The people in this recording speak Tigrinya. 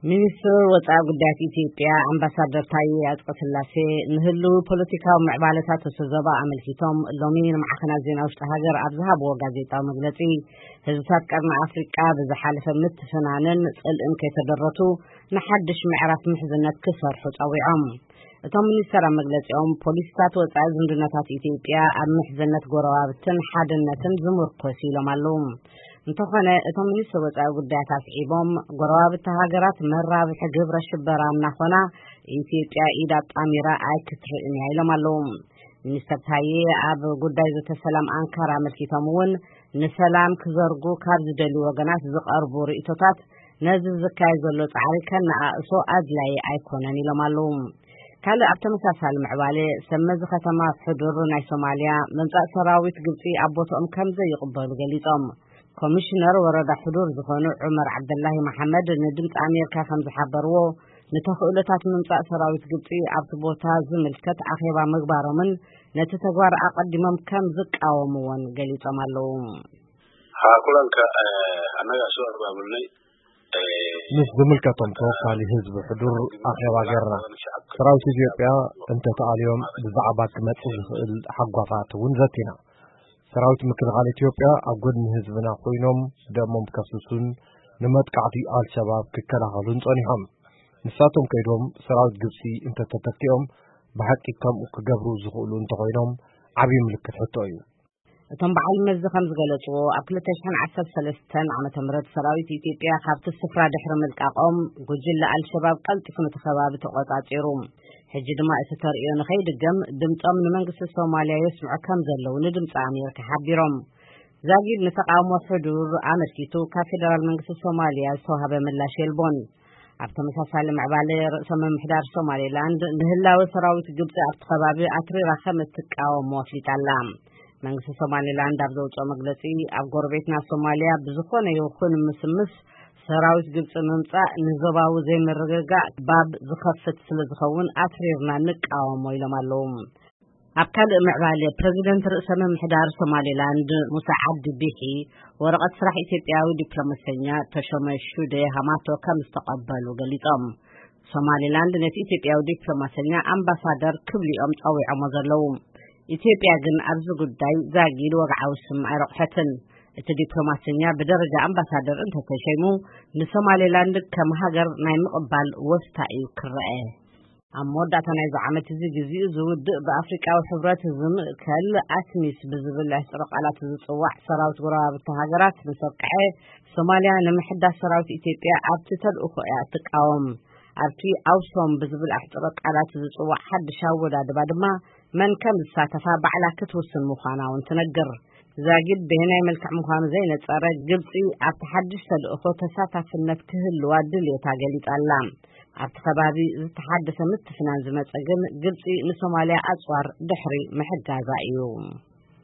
ሚኒስትር ወጻኢ ጉዳያት ኢትዮጵያ ኣምባሳደር ታዬ ኣጽቀስላሴ ንህልው ፖለቲካዊ ምዕባለታት እቲ ዞባ ኣመልኪቶም ሎሚ ንማዕኸናት ዜና ውሽጢ ሃገር ኣብ ዝሃብዎ ጋዜጣዊ መግለጺ፣ ህዝብታት ቀርኒ ኣፍሪቃ ብዝሓለፈ ምትፍናንን ጽልእን ከይተደረቱ ንሓድሽ ምዕራፍ ምሕዝነት ክሰርሑ ጸዊዖም። እቶም ሚኒስተር ኣብ መግለጺኦም፣ ፖሊሲታት ወጻኢ ዝምድናታት ኢትዮጵያ ኣብ ምሕዝነት ጎረባብትን ሓድነትን ዝምርኮስ ኢሎም ኣለዉ። እንተኾነ፣ እቶም ሚኒስትር ወጻኢ ጉዳያት ኣስዒቦም፣ ጎረባብቲ ሃገራት መራብሒ ግብረ ሽበራ እናኾና፣ ኢትዮጵያ ኢድ ኣጣሚራ ኣይክትርእን እያ ኢሎም ኣለዉ። ሚኒስተር ታዬ ኣብ ጉዳይ ዘተ ሰላም ኣንካራ ኣመልኪቶም እውን፣ ንሰላም ክዘርጉ ካብ ዝደልዩ ወገናት ዝቐርቡ ርእይቶታት ነዚ ዝካየድ ዘሎ ጻዕሪ ከነኣእሶ ኣድላዪ ኣይኮነን ኢሎም ኣለዉ። ካልእ ኣብ ተመሳሳሊ ምዕባለ፣ ሰብ መዚ ከተማ ሕዱር ናይ ሶማልያ ምምጻእ ሰራዊት ግብጺ ኣብ ቦትኦም ከም ዘይቕበሉ ገሊጾም። ኮሚሽነር ወረዳ ሕዱር ዝኾኑ ዑመር ዓብደላሂ መሓመድ ንድምፂ ኣሜሪካ ከም ዝሓበርዎ፣ ንተኽእሎታት ምምጻእ ሰራዊት ግብጺ ኣብቲ ቦታ ዝምልከት ኣኼባ ምግባሮምን ነቲ ተግባር ኣቐዲሞም ከም ዝቃወምዎን ገሊጾም ኣለዉ። Haa, kulanka, eh, annaga soo abaabulnay. Eh, ምስ ዝምልከቶም ተወካሊ ህዝቢ ሕዱር ኣኼባ ገርና። ሰራዊት ኢትዮጵያ እንተተኣልዮም ብዛዕባ ክመጽእ ዝኽእል ሓጓፋት እውን ዘቲና። ሰራዊት ምክልኻል ኢትዮጵያ ኣብ ጎድኒ ህዝብና ኮይኖም ደሞም ከፍስሱን ንመጥቃዕቲ ኣልሸባብ ክከላኸሉን ጸኒሖም። ንሳቶም ከይዶም ሰራዊት ግብጺ እንተተተኪኦም ብሓቂ ከምኡ ክገብሩ ዝኽእሉ እንተኾይኖም ዓብዪ ምልክት ሕቶ እዩ። እቶም በዓል መዚ ከም ዝገለጽዎ፣ ኣብ ክልተ ሽሕን ዓሰርተ ሰለስተን ዓመተ ምህረት ሰራዊት ኢትዮጵያ ካብቲ ስፍራ ድሕሪ ምልቃቖም፣ ጉጅለ ኣልሸባብ ቀልጢፉ ነቲ ከባቢ ተቖጻጺሩ። ሕጂ ድማ እቲ ተርእዮ ንኸይድገም ድምጾም ንመንግስቲ ሶማልያ የስምዑ ከም ዘለዉ ንድምጺ ኣሜሪካ ሓቢሮም። ዛጊድ ንተቓውሞ ሕዱር ኣመልኪቱ ካብ ፌደራል መንግስቲ ሶማልያ ዝተዋህበ ምላሽ የልቦን። ኣብ ተመሳሳሊ ምዕባለ፣ ርእሰ ምምሕዳር ሶማሌላንድ ንህላወ ሰራዊት ግብጺ ኣብቲ ከባቢ ኣትሪራ ከም እትቃወሞ ኣፍሊጣ ኣላ። መንግስቲ ሶማሌላንድ ኣብ ዘውፅኦ መግለጺ፣ ኣብ ጎረቤትና ሶማልያ ብዝኾነ ይኹን ምስምስ ሰራዊት ግብጺ ምምጻእ ንዞባዊ ዘይምርግጋእ ባብ ዝኸፍት ስለ ዝኸውን ኣትሪርና ንቃወሞ ኢሎም ኣለዉ። ኣብ ካልእ ምዕባለ፣ ፕረዚደንት ርእሰ ምምሕዳር ሶማሌላንድ ሙሳ ዓብዲ ቢሒ ወረቐት ስራሕ ኢትዮጵያዊ ዲፕሎማሰኛ ተሾመ ሹዴ ሃማቶ ከም ዝተቐበሉ ገሊጾም። ሶማሌላንድ ነቲ ኢትዮጵያዊ ዲፕሎማሰኛ ኣምባሳደር ክብልኦም ጸዊዖሞ ዘለዉ። ኢትዮጵያ ግን ኣብዚ ጉዳይ ዛጊድ ወግዓዊ ስም ኣይረቑሐትን። እቲ ዲፕሎማሰኛ ብደረጃ ኣምባሳደር እንተተሸይሙ፣ ንሶማሌላንድ ከም ሃገር ናይ ምቕባል ወስታ እዩ ክረአ። ኣብ መወዳእታ ናይዚ ዓመት እዚ፣ ግዜኡ ዝውድእ ብኣፍሪቃዊ ሕብረት ዝምእከል ኣትሚስ ብዝብል ኣሕጽሮ ቃላት ዝጽዋዕ ሰራዊት ጎረባብቲ ሃገራት ምስ ኣብቅዐ፣ ሶማልያ ንምሕዳስ ሰራዊት ኢትዮጵያ ኣብቲ ተልእኾ እያ እትቃወም። ኣብቲ ኣውሶም ብዝብል ኣሕጽሮ ቃላት ዝጽዋዕ ሓድሽ ኣወዳድባ ድማ መን ከም ዝሳተፋ ባዕላ ክትውስን ምዃና እውን ትነግር። ዛጊድ በየናይ መልክዕ ምዃኑ ዘይነጸረ፣ ግብጺ ኣብቲ ሓድሽ ተልእኾ ተሳታፍነት ክህልዋ ድልየታ ገሊጻ ኣላ። ኣብቲ ከባቢ ዝተሓደሰ ምትፍናን ዝመጸ ግን፣ ግብጺ ንሶማልያ ኣጽዋር ድሕሪ ምሕጋዛ እዩ።